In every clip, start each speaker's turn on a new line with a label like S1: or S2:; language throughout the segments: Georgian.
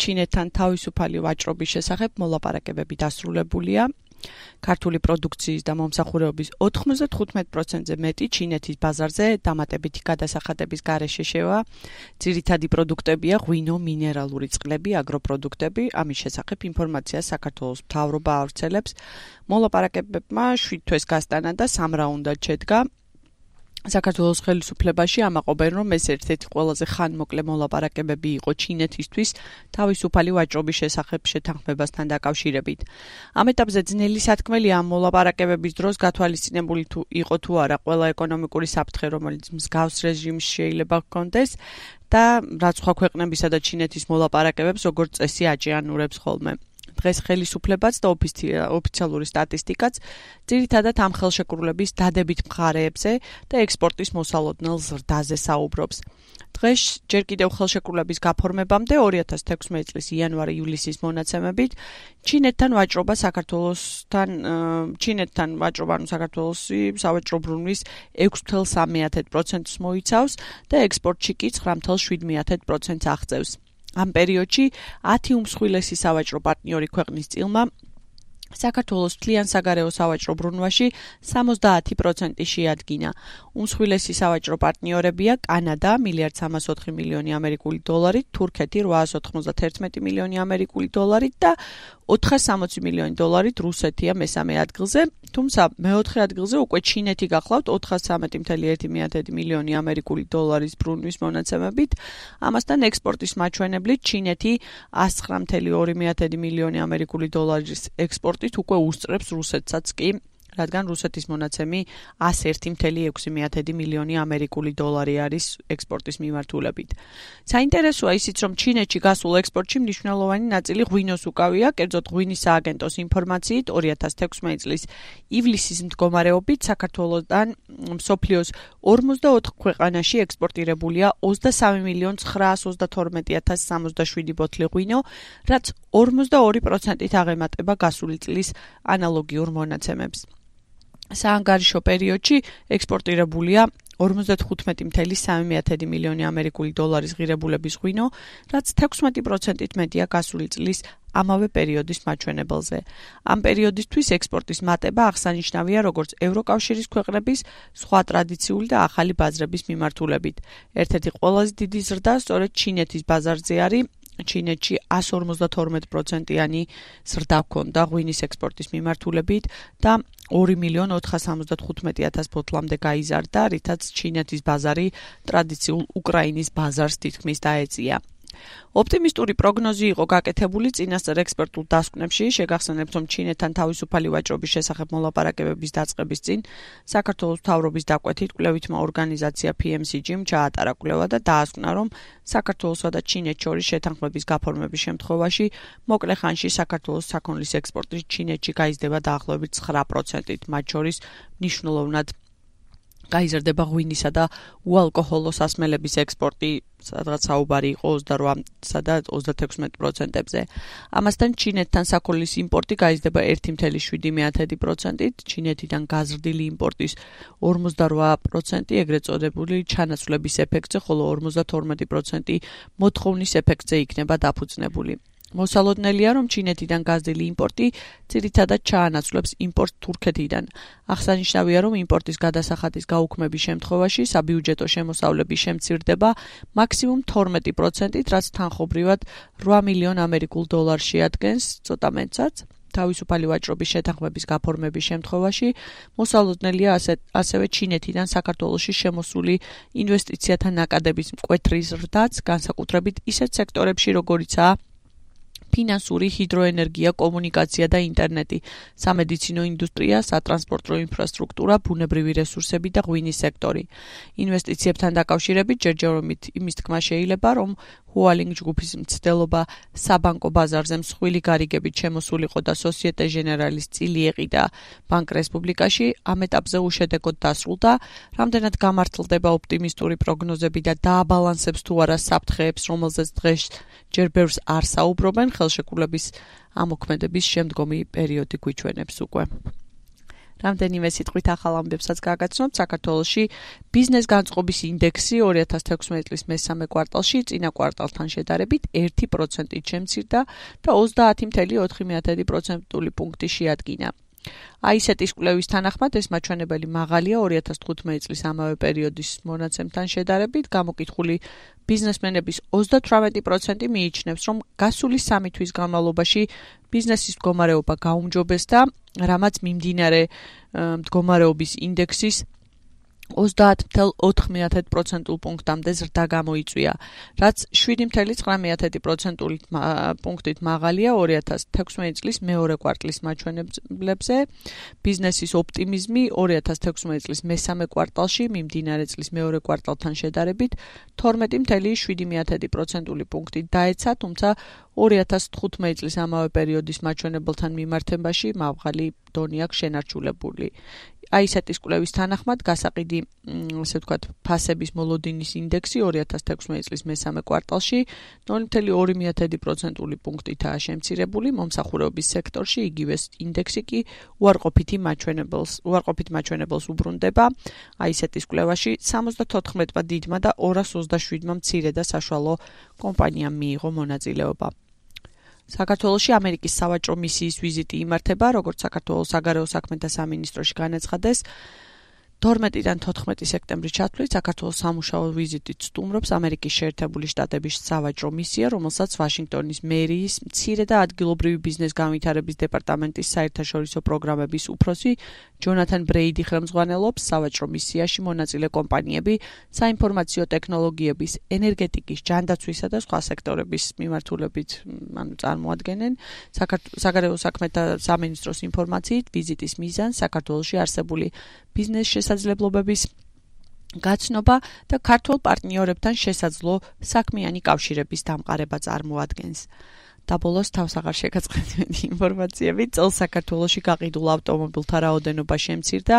S1: ჩინეთთან თავისუფალი ვაჭრობის შესახებ მოლაპარაკებები დასრულებულია. ქართული პროდუქციის და მომსახურების 95%-ზე მეტი ჩინეთის ბაზარზე დამატებითი გადასახადების გარეშე შევა. ძირითადი პროდუქტებია ღვინო, მინერალური წყლები, აგროპროდუქტები. ამის შესახებ ინფორმაციას საქართველოს მთავრობა ავრცელებს. მოლაპარაკებებმა 7 თვეს გასტანა და 3 რაუნდად შედგა. საქართველოს ხელისუფლებაში ამაყობენ, რომ ეს ერთ-ერთი ყველაზე ხანმოკლე მოლაპარაკებები იყო ჩინეთისთვის თავისუფალი ვაჭრობის შესახებ შეთანხმებასთან დაკავშირებით. ამ ეტაპზე ძნელი სათქმელია ამ მოლაპარაკებების დროს გათვალისწინებული იყო თუ არა ყველა ეკონომიკური საფრთხე, რომელიც მსგავს რეჟიმს შეიძლება ჰქონდეს და რაც სხვა ქვეყნებისა და ჩინეთის მოლაპარაკებებს როგორც წესი აჭიანურებს ხოლმე. დღეს ხელისუფლებაც და ოფიციალური სტატისტიკაც ძირითადად ამ ხელშეკრულების დადებით მხარეებზე და ექსპორტის მოსალოდნელ ზრდაზე საუბრობს. დღეს ჯერ კიდევ ხელშეკრულების გაფორმებამდე 2016 წლის იანვარი-ივლისის მონაცემებით ჩინეთთან ვაჭრობა საქართველოსი სავაჭრო ბრუნვის 6,3% მოიცავს და ექსპორტში კი 9,7% აღწევს. ამ პერიოდში 10 უმსხვილესი სავაჭრო პარტნიორი ქვეყნის წილმა საქართველოს მთლიან საგარეო სავაჭრო ბრუნვაში 70% შეადგინა. უმსხვილესი სავაჭრო პარტნიორებია კანადა $1,304 მილიონი, თურქეთი $891 მილიონი და $460 მილიონი რუსეთია მესამე ადგილზე, თუმცა მეოთხე ადგილზე უკვე ჩინეთი გახლავთ $413.1 მილიონი ბრუნვის მონაცემებით. ამასთან ექსპორტის მაჩვენებლით ჩინეთი $109.2 მილიონი ექსპორტით უკვე უსწრებს რუსეთსაც კი, რადგან რუსეთის მონაცემი $101.6 მილიონი არის ექსპორტის მიმართულებით. საინტერესოა ისიც, რომ ჩინეთში გასულ ექსპორტში მნიშვნელოვანი ნაწილი ღვინოს უკავია, კერძოდ ღვინის სააგენტოს ინფორმაციით 2016 წლის ივლისის მდგომარეობით საქართველოსთან მსოფლიოს 44 ქვეყანაში ექსპორტირებულია 23,932,067 ბოთლი ღვინო, რაც 42%-ით აღემატება გასული წლის ანალოგიურ მონაცემებს. საანგარიშო პერიოდში ექსპორტირებულია 55.3 მილიონი ღირებულების ღვინო, რაც 16%-ით მეტია გასული წლის ამავე პერიოდის მაჩვენებელზე. ამ პერიოდისთვის ექსპორტის მატება აღსანიშნავია როგორც ევროკავშირის ქვეყნების სხვა ტრადიციული და ახალი ბაზრების მიმართულებით. ერთ-ერთი ყველაზე დიდი ზრდა სწორედ ჩინეთის ბაზარზე არის. ჩინეთში 152%-იანი ზრდა ჰქონდა ღვინის ექსპორტის მიმართულებით და 2,475,000 ბოთლამდე გაიზარდა, რითაც ჩინეთის ბაზარი ტრადიციულ უკრაინის ბაზარს თითქმის დაეწია. ოპტიმისტური პროგნოზი იყო გაკეთებული წინასწარ ექსპერტულ დასკვნებში. შეგახსენებთ, რომ ჩინეთთან თავისუფალი ვაჭრობის შესახებ მოლაპარაკებების დაწყების წინ საქართველოს მთავრობის დაკვეთით კვლევითმა ორგანიზაცია PMCG-მ ჩაატარა კვლევა და დაასკვნა, რომ საქართველოსა და ჩინეთს შორის შეთანხმების გაფორმების შემთხვევაში მოკლე ხანში საქართველოს საქონლის ექსპორტი ჩინეთში გაიზრდება დაახლოებით 9%-ით, მათ შორის მნიშვნელოვნად გაიზრდება ღვინისა და უალკოჰოლო სასმელების ექსპორტი, სადღაც საუბარი იყო 28-სა და 36%-ზე. ამასთან ჩინეთთან საქონლის იმპორტი გაიზრდება 1,7%-ით, ჩინეთიდან გაზრდილი იმპორტის 48% ეგრეთ წოდებული ჩანაცვლების ეფექტზე, ხოლო 52% მოთხოვნის ეფექტზე იქნება დაფუძნებული. მოსალოდნელია, რომ ჩინეთიდან გაზრდილი იმპორტი ძირითადად ჩაანაცვლებს იმპორტს თურქეთიდან. აღსანიშნავია, რომ იმპორტის გადასახადის გაუქმების შემთხვევაში საბიუჯეტო შემოსავლები შემცირდება მაქსიმუმ 12%-ით, რაც თანხობრივად $8 მილიონ შეადგენს, ცოტა მეტსაც. თავისუფალი ვაჭრობის შეთანხმების გაფორმების შემთხვევაში მოსალოდნელია ასევე ჩინეთიდან საქართველოში შემოსული ინვესტიციათა ნაკადების მკვეთრი ზრდაც, განსაკუთრებით ისეთ სექტორებში, როგორიცაა ფინანსური, ჰიდროენერგია, კომუნიკაცია და ინტერნეტი, სამედიცინო ინდუსტრია, სატრანსპორტო ინფრასტრუქტურა, ბუნებრივი რესურსები და ღვინის სექტორი. ინვესტიციებთან დაკავშირებით ჯერჯერობით იმის თქმა შეიძლება, რომ Hualing ჯგუფის მცდელობა საბანკო ბაზარზე მსხვილი გარიგებით შემოსულიყო და Societe Generale-ის წილი ეყიდა ბანკ რესპუბლიკაში, ამ ეტაპზე უშედეგოდ დასრულდა, რამდენად გამართლდება ოპტიმისტური პროგნოზები და დააბალანსებს თუ არა საფრთხეებს, რომელზეც დღეს ჯერ ბევრს არ საუბრობენ, ხელშეკრულების ამოქმედების შემდგომი პერიოდი გვიჩვენებს უკვე. რამდენიმე სიტყვით ახალ ამბებსაც გაგაცნობთ. საქართველოში ბიზნეს განწყობის ინდექსი 2016 წლის მესამე კვარტალში წინა კვარტალთან შედარებით 1%-ით შემცირდა და 30.4% პუნქტი შეადგინა. AISET-ის კვლევის თანახმად ეს მაჩვენებელი მაღალია 2015 წლის ამავე პერიოდის მონაცემთან შედარებით. გამოკითხული ბიზნესმენების 38% მიიჩნევს, რომ გასული 3 თვის განმავლობაში ბიზნესის მდგომარეობა გაუმჯობესდა, რამაც მიმდინარე მდგომარეობის ინდექსის 30.4% პუნქტამდე ზრდა გამოიწვია, რაც 7.9% პუნქტით მაღალია 2016 წლის მეორე კვარტლის მაჩვენებლებზე. ბიზნესის ოპტიმიზმი 2016 წლის მესამე კვარტალში მიმდინარე წლის მეორე კვარტალთან შედარებით 12.7% პუნქტით დაეცა, თუმცა 2015 წლის ამავე პერიოდის მაჩვენებელთან მიმართებაში მაღალი დონე აქვს შენარჩუნებული. AISET-ის კვლევის თანახმად გასაყიდი, ასე ვთქვათ, ფასების მოლოდინის ინდექსი 2016 წლის მესამე კვარტალში 0.2% პუნქტითაა შემცირებული, მომსახურების სექტორში იგივე ინდექსი კი უარყოფით მაჩვენებელს უბრუნდება. AISET-ის კვლევაში 74 დიდმა და 227 მცირე და საშუალო კომპანიამ მიიღო მონაწილეობა. საქართველოში ამერიკის სავაჭრო მისიის ვიზიტი იმართება, როგორც საქართველოს საგარეო საქმეთა სამინისტროში განაცხადეს. 12-დან 14 სექტემბრის ჩათვლით საქართველოს სამუშაო ვიზიტით სტუმრობს ამერიკის შეერთებული შტატების სავაჭრო მისია, რომელსაც ვაშინგტონის მერიის მცირე და ადგილობრივი ბიზნეს განვითარების დეპარტამენტის საერთაშორისო პროგრამების უფროსი ჯონათან ბრეიდი ხელმძღვანელობს. სავაჭრო მისიაში მონაწილე კომპანიები საინფორმაციო ტექნოლოგიების, ენერგეტიკის, ჯანდაცვისა და სხვა სექტორების მიმართულებით წარმოადგენენ. საგარეო საქმეთა სამინისტროს ინფორმაციით, ვიზიტის მიზანს საქართველოში არსებული ბიზნეს შესაძლებლობების გაცნობა და ქართულ პარტნიორებთან შესაძლო საქმიანი კავშირების დამყარება წარმოადგენს. და ბოლოს თავს აღარ შეგაწყდეთ ინფორმაციები. წელს საქართველოში გაყიდულ ავტომობილთა რაოდენობა შემცირდა.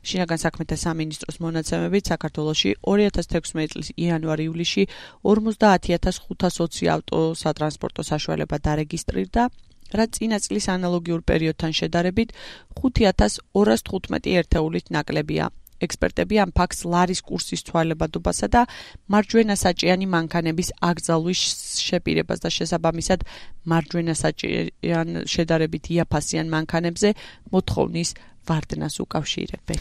S1: შინაგან საქმეთა სამინისტროს მონაცემებით საქართველოში 2016 წლის იანვარ-ივლისში 50.520 ავტოსატრანსპორტო საშუალება დარეგისტრირდა, რაც წინა წლის ანალოგიურ პერიოდთან შედარებით 5.215 ერთეულით ნაკლებია. ექსპერტები ამ ფაქტს ლარის კურსის ცვალებადობასა და მარჯვენა საჭიანი მანქანების აკრძალვის შეპირებას და შესაბამისად მარჯვენა საჭიან შედარებით იაფასიან მანქანებზე მოთხოვნის ვარდნას უკავშირებენ.